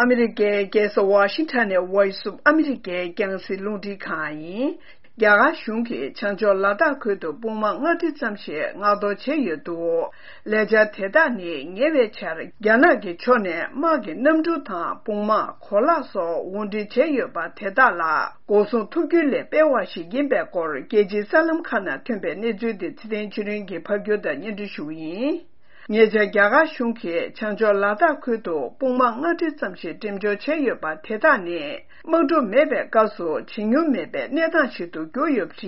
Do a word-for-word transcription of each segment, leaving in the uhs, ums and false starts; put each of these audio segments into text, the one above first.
ཨ་མི་རི་ཀའི་རྒྱལ་ས་ཝ་ཤིང་ཊོན་ནས་Voice of America རྒྱང་སྲིང་རླུང་འཕྲིན་ཁང་ཡིན། རྒྱ་གར་གཞུང་གིས་བྱང་ཕྱོགས་ལ་དྭགས་ཁུལ་དུ་དཔུང་དམག་ལྔ་ཁྲི་ཙམ་ཞིག་མངགས་གཏོང་བྱས་ཡོད་འདུག་ལས་འཆར་དེ་དག་ནི་ཉེ་བའི་ཆར་རྒྱ་ནག་གི་ཕྱོགས་ནས་དམག་གི་གནམ་གྲུ་དང་དཔུང་དམག་གོ་ལག་སོགས་དབོར་འདྲེན་བྱས་ཡོད་པ་དེ་དག་ལ་འགོག་སྲུང་ཐུབ་རྒྱུ་ལས་སྤེལ་བ་ཞིག་ཡིན་པའི་སྐོར་རྒྱལ་སྤྱིའི་གསར་ལམ་ཁག་ནང་ཐོན་པའི་གནས་ཚུལ་དེ་ཚེ་བརྟན་ཆོས་སྒྲོན་གྱིས་ཕབ་སྒྱུར་དང་སྙན་སྒྲོན་ཞུ་བ་ཡིན། ཉེ་ཆར་རྒྱ་གར་གཞུང་གིས་བྱང་ཕྱོགས་ལ་དྭགས་ཁུལ་དུ་དཔུང་དམག་ལྔ་ཁྲི་ཙམ་ཞིག་འགྲེམས་འཇོག་བྱས་ཡོད་པ་དེ་དག་ནི་དམག་འཁྲུག་མེད་པའི་སྐབས་སུ་བྱེད་མྱོང་མེད་པའི་གནས་སྟངས་ཤིག་ཏུ་གྱུར་ཡོད་པ་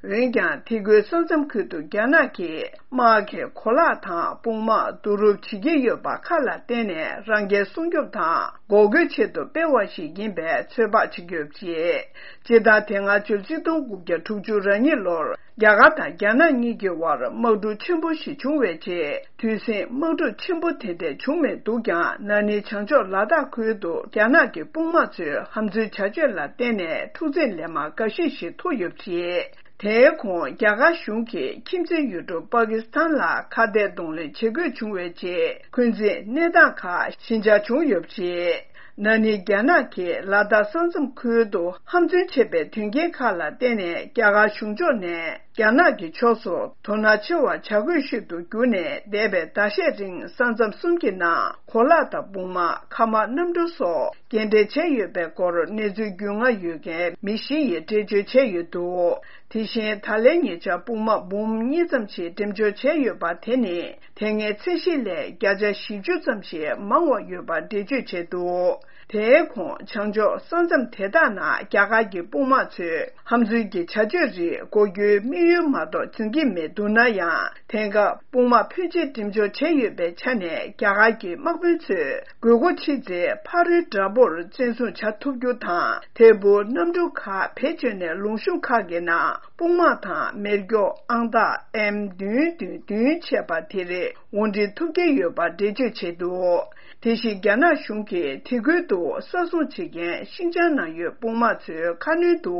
རེད། འོན་ཀྱང་དེ་ཁུལ་ས་མཚམས་ཁུལ་དུ་རྒྱ་ནག་གིས་དམག་གི་གོ་ལག་དང་དཔུང་དམག་བསྡུ་རུབ་བྱེད་ཀྱི་ཡོད་པ་ཁ་ལ་བརྟེན་ནས་རང་རྒྱལ་སྲུང་སྐྱོབ་དང་འགོག་རྒོལ་ཆེད་དུ་སྤེལ་བ་ཞིག་ཡིན་པའི་ཚོད་དཔག་བྱེད་ཀྱི་ཡོད་པ་རེད། སྤྱི་ཟླ་དེ་སྔ་ཕྱི་ལོ་གཅིག་སྟོང་དགུ་བརྒྱ་དྲུག་ཅུ་རེ་གཉིས་ལོར་རྒྱ་གར་དང་རྒྱ་ནག་གཉིས་ཀྱི་དབར་དམག་འཁྲུག་ཆེན་པོ་ཞིག་བྱུང་བའི་རྗེས། དུས་ཟིང་དམག་འཁྲུག་ཆེན་པོ་དེ་འདྲ་བྱུང་མེད་འདུག་ཀྱང་། ན་ནིང་བྱང་ཕྱོགས་ལ་དྭགས་ཁུལ་དུ་རྒྱ་ནག་གི་དཔུང་དམག་ཚོའི་ཧམ་འཛུལ་བྱ་སྤྱོད་ལ་བརྟེན་ནས་འཁྲུག་འཛིང་ལན་མང་འགའ་ཤས་ཤིག་ཐུག་ཡོད་པ་རེད། དེའི་གོང་རྒྱ་གར་གཞུང་གིས་ཁྱིམ་མཚེས་ཡུལ་གྲུ་པ་ཀི་སི་ཐན་ལ་ཁ་གཏད་གདོང་ལེན་བྱེད་དགོས་བྱུང་བའི་རྗེས། འཁོན་འཛིན་གནས་སྟངས་ཁག་ཞི་འཇགས་བྱུང་ཡོད་པ་རེད། ན་ནིང་རྒྱ་ནག་གིས་ལ་དྭགས་ས་མཚམས་ཁུལ་དུ་ཧམ་བརྩོན་བྱས་པའི་དོན་རྐྱེན་ཁག་ལ་བརྟེན་ནས་རྒྱ་གར་གཞུང་ཕྱོགས་ནས་རྒྱ་ནག་གི་ཕྱོགས་སུ་དོ་སྣང་ཆེ་བ་བྱ་དགོས་ཤིག་ཏུ་གྱུར་ནས། འདས་པའི་ཟླ་ཤས་རིང་ས་མཚམས་གསུམ་གྱི་ནང་གོ་ལག་དང་དཔུང་དམག་མཁའ་དམག་གནམ་གྲུ་སོགས་སྐྱེལ་འདྲེན་བྱས་ཡོད་པའི་སྐོར་གནས་ཚུལ་རྒྱུས་མངའ་ཡོད་མཁན་མི་བཞི་ཡིས་འགྲེལ་བརྗོད་བྱས་ཡོད་འདུག་དེ་བཞིན་ད་ལན་ཉེ་ཆར་དཔུང་དམག་འབུམ་གཉིས་ཙམ་ཞིག་འགྲེམས་འཇོག་བྱས་ཡོད་པ་དེ་ནི་དེ་སྔའི་ཚད་གཞི་ལས་བརྒྱ་ཆ་བཞི་བཅུ་ཙམ་ཞིག་མང་བ་ཡོད་པ་འགྲེལ་བརྗོད་བྱས་འདུག་དེའི་གོང་བྱང་ཕྱོགས་ས་མཚམས་དེ་དག་ནང་རྒྱ་གར་གྱི་དཔུང་དམག་ཚོས་ཧམ་འཛུལ་གྱི་བྱ་སྤྱོད་རིགས་འགོག་རྒྱུའི་དམིགས་ཡུལ་མ་གཏོགས་འཛིན་གྱི་མེད་འདུག་ན་ཡང་། དེང་སྐབས་དཔུང་དམག་ཕོན་ཆེ་འགྲེམས་འཇོག་བྱས་ཡོད་པའི་ཆ་ནས། རྒྱ་གར་གྱི་དམག་དཔོན་ཚོས་དགོས་མཁོ་ཆེ་ཚེ་ཕ་རོལ་དྲག་པོར་བཙན་བཟུང་བྱ་ཐུབ་རྒྱུ་དང་། ཐད་འཕུར་གནམ་གྲུ་ཁག་བེད་སྤྱོད་ནས་ལུང་གཤོང་ཁག་གི་ནང་དཔུང་དམག་དང་མེ་སྒྱོགས་ཨང་རྟགས་ཨེམ་བདུན་བདུན་བདུན་བཅས་པ་དེ་རིགས་དབོར་འདྲེན་ཐུབ་ཀྱི་ཡོད་པ་འགྲེལ་བརྗོད་བྱས་འདུག་དེ་བཞིན་རྒྱ་ནག་གཞུང་གིས་དེ་ཁུལ་དུ་ས་སྲུང་བྱེད་མཁན་ཤིན་ཅང་ནང་ཡོད་དཔུང་དམག་ཚོའི་ཁ་སྣོན་དུ་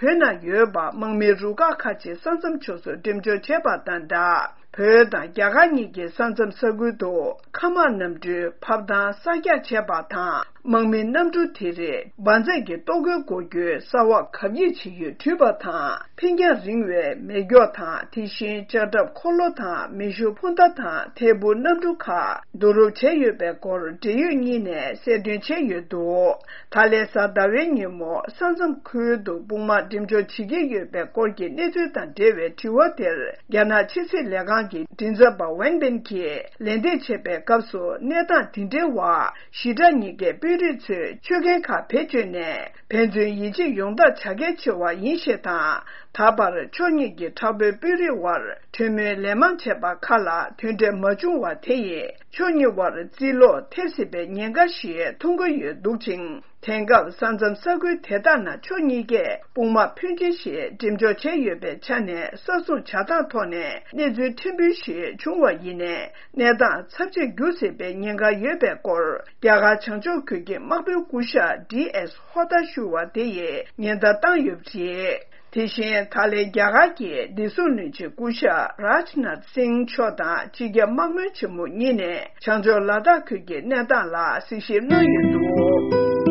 བོད་ནང་ཡོད་པ་དམག་མིའི་རུ་ཁག་ཁག་ཅིག་ས་མཚམས་ཕྱོགས་སུ་འགྲེམས་འཇོག་བྱས་པ་དང་སྦྲགས། བོད་དང་རྒྱ་གར་གཉིས་ཀྱི་ས་མཚམས་ས་ཁུལ་དུ་མཁའ་དམག་གནམ་གྲུའི་ཕབ་ཐང་གསར་རྒྱག་བྱས་པ་དང་། དམག་མིའི་གནམ་གྲུ་དེ་རིགས་འབར་རྫས་ཀྱི་ལྟོ་གོས་འགོག་རྒྱུའི་གསར་བ་གབ་ཡིབ་བྱེད་ཡུལ་བྲུས་པ་དང་། འཕེན་རྒྱང་རིང་བའི་མེ་སྒྱོགས་དང་། དེ་བཞིན་ལྕགས་ཁྲབ་འཁོར་ལོ་དང་། མེ་ཤུགས་འཕུར་མདའ་དང་། ཐད་འཕུར་གནམ་གྲུ་ཁག་བསྡུ་རུབ་བྱས་ཡོད་པའི་སྐོར་འབྲེལ་ཡོད་གཉིས་ནས་གསལ་སྟོན་བྱས་ཡོད་འདུག་ད་ལན་གཟའ་ཟླ་བའི་ཉིན་མོ་ས་མཚམས་ཁུལ་དུ་དཔུང་དམག་འགྲེམས་འཇོག་བྱེད་ཀྱི་ཡོད་པའི་སྐོར་གྱི་གནས་ཚུལ་དང་འབྲེལ་བའི་དྲི་བ་དེར། རྒྱ་ནག་ཕྱི་སྲིད་ལས་ཁང་གི་མགྲིན་ཚབ་པ་ཝེན་པིན་གྱིས་ལན་འདེབས་བྱས་པའི་སྐབས་སུ། གནས་སྟངས་དེ་འདྲའི་བར། ཞི་དྲག་གཉིས་ཀའི་དཔོན་རིགས་ཚོས་ཆོད་གན་ཁག་བེད་སྤྱོད་ནས་ཕན་ཚུན་ཡིད་ཆེས་ཡོང་ཐབས་བྱ་གལ་ཆེ་བ་ཡིན་ཞེས་དང་། ད་བར་ཕྱོགས་གཉིས་ཀྱི་དྲག་པོའི་དཔོན་རིགས་དབར་གྲོས་མོལ་ལན་མང་བྱས་པ་ཁག་ལ་དོན་འབྲས་མ་བྱུང་བ་དེ་ཡིས་ཕྱོགས་གཉིས་དབར་རྩིས་ལོག་ཐེབས་སྲིད་པའི་ཉེན་ཁ་ཞིག་མཐོང་གི་ཡོད་འདུག་ཅིང་། དེང་སྐབས་ས་མཚམས་ས་ཁུལ་དེ་དག་ནང་ཕྱོགས་གཉིས་ཀས་དཔུང་དམག་ཕོན་ཆེ་ཞིག་འགྲེམས་འཇོག་བྱས་ཡོད་པའི་ཆ་ནས། ས་སྲུང་བྱ་སྟངས་ཐོག་ནས་གནས་ཚུལ་ཕྲན་བུ་ཞིག་བྱུང་བ་ཡིན་ནའི། གནས་སྟངས་ཚབས་ཆེར་འགྱུར་སྲིད་པའི་ཉེན་ཁ་ཡོད་པའི་སྐོར། རྒྱ་གར་བྱང་ཕྱོགས་ཁུལ་གྱི་དམག་དཔོན་སྐུ་ཞབས་ཌི་ཨེས་ཧོ་ཏ་ཞུ་བ་དེ་ཡིས་ཉེན་བརྡ་བཏང་ཡོད་པ་རེད། དེ་བཞིན་ད་ལན་རྒྱ་གར་གྱི་བདེ་སྲུང་བློན་ཆེན་སྐུ་ཞབས་རཱཇ་ནཱཐ་སིང་མཆོག་དང་། སྤྱི་ཁྱབ་དམག་དཔོན་ཆེན་མོ་གཉིས་ནས་བྱང་ཕྱོགས་ལ་དྭགས་ཁུལ་གྱི་གནས་སྟངས་ལ་གཟིགས་ཞིབ་གནང་ཡོད་འདུག